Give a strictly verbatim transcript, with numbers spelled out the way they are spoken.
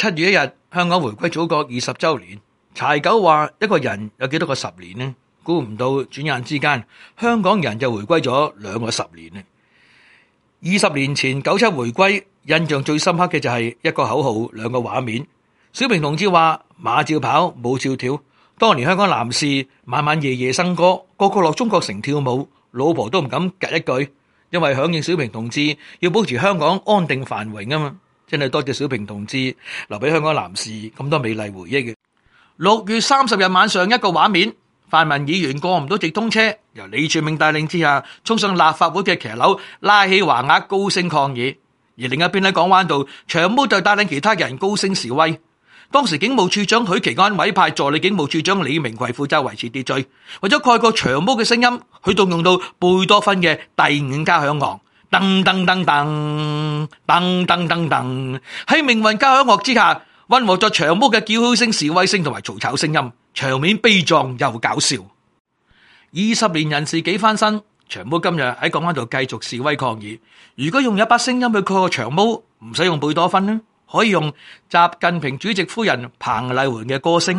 七月一日，香港回歸祖國二十週年。柴九話：一個人有幾多個十年呢？估唔到轉眼之間，香港人就回歸咗兩個十年呢。二十年前九七回歸，印象最深刻嘅就係一個口號，兩個畫面。小平同志話：馬照跑，舞照跳。當年香港男士晚晚夜夜笙歌，個個落中國城跳舞，老婆都唔敢夾一句，因為響應小平同志要保持香港安定繁榮啊嘛。真係多謝小平同志留俾香港男士咁多美麗回憶嘅。六月三十日晚上一個畫面，泛民議員過唔到直通車，由李柱銘帶領之下衝上立法會嘅騎樓，拉起橫額高聲抗議。而另一邊喺港灣道，長毛就帶領其他人高聲示威。當時警務處長許其安委派助理警務處長李明奎負責維持秩序，為咗蓋過長毛嘅聲音，佢動用到貝多芬嘅第五交響樂，噔噔噔噔噔噔噔噔，喺命運交響樂之下，溫和咗長毛嘅叫囂聲、示威聲同埋嘈吵聲音，場面悲壯又搞笑。二十年人事幾翻身，長毛今日喺港灣度繼續示威抗議。如果用一把聲音去蓋過長毛，唔使用貝多芬呢，可以用習近平主席夫人彭麗媛嘅歌聲。